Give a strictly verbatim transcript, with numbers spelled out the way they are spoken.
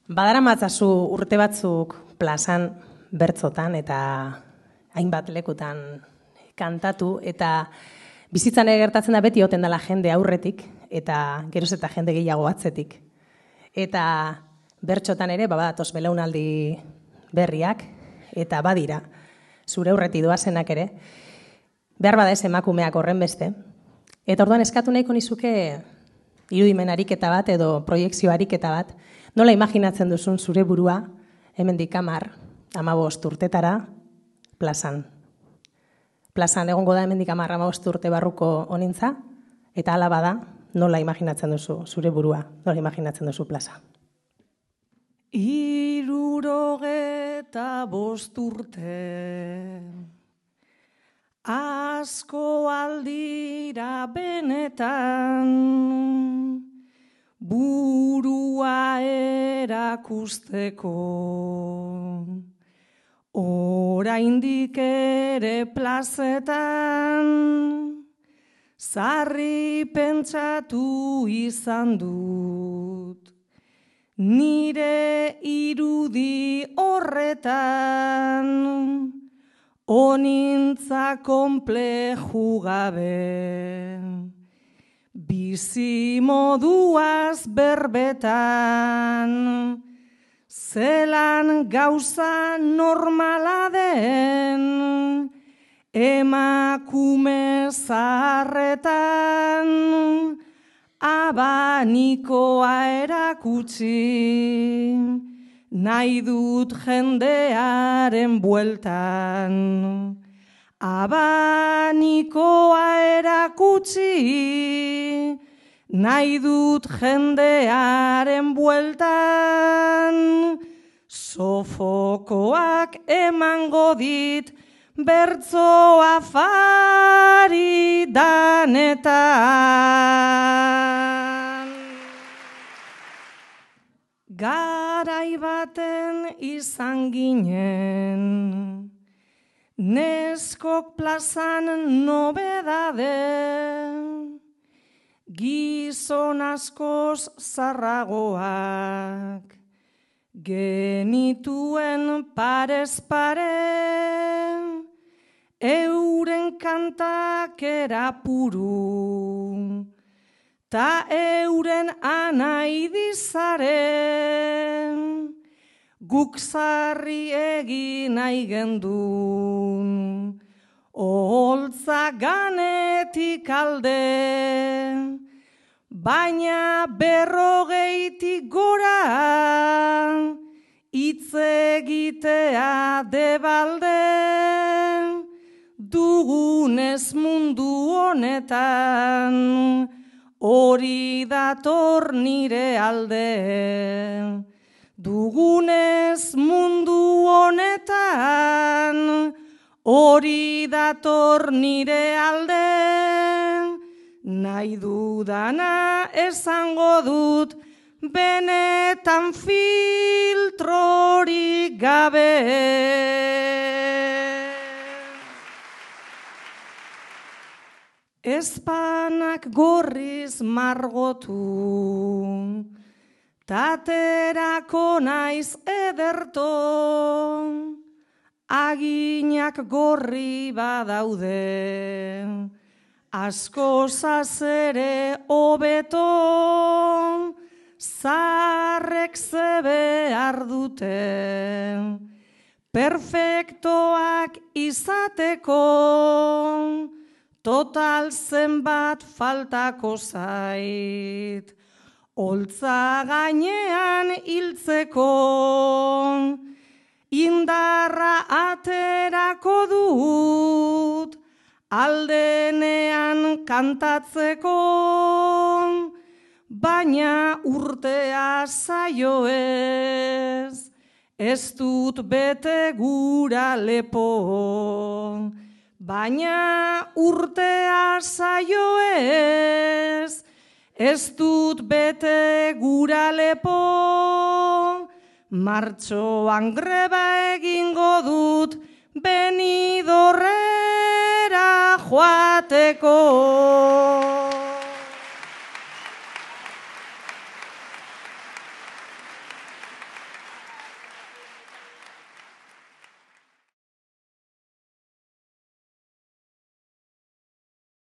Badaramatzazu urte batzuk plazan, bertzotan eta hainbat lekutan kantatu, eta bizitzan ere gertatzen da beti oten dela jende aurretik, eta geroz eta jende gehiago atzetik. Eta bertxotan ere, badatoz belaunaldi berriak, eta badira, zure aurreti doazenak ere, behar bada ez emakumeak horren beste. Eta orduan eskatu nahiko nizuke irudimen ariketa bat edo proiekzio ariketa bat, nola imaginatzen duzun zure burua, hemendik hamar, hamabost urtetara, plazan. Plazan egongo da hemendik hamar, hamabost urte barruko honintza, eta hala bada, nola imaginatzen duzu zure burua, nola imaginatzen duzu plaza. Hirurogeta bost urte, asko aldira benetan, burua erakusteko, oraindik ere plazetan, sarri pentsatu izan dut, nire irudi horretan, onintza konpleju gabe, bizi moduaz berbetan, zelan gauza normala den, emakume zaharretan, abanikoa erakutsi, nahi dut jendearen bueltan. Abanikoa erakutsi, nahi dut jendearen bueltan. Sofokoak emango dit, bertzo afari danetan. Garai baten izan ginen, neskok plazan nobedade, gizon askoz zarragoak, genituen parez pare, euren kantak erapuru, ta euren anai dizaren, guk zarri egin nahi gendun, oholtza ganetik alde, baina berrogeitik gora, hitz egitea debalde, dugunez mundu honetan, hori dator nire alde. Dugunez mundu honetan, hori dator nire alde. Nahi dudana esango dut, benetan filtrorik gabe. Ezpanak gorriz margotu, taterako naiz ederto, aginak gorri badaude, asko zazere hobeto, zarrek zebe ardute, perfektoak izateko, total zenbat faltako zait, holtza gainean hiltzeko, indarra aterako dut, aldenean kantatzeko, baina urtea zaio ez, ez dut bete gura lepo. Baina urtea zaio ez, ez dut bete gura lepo, martxoan greba egingo dut, Benidorrera joateko.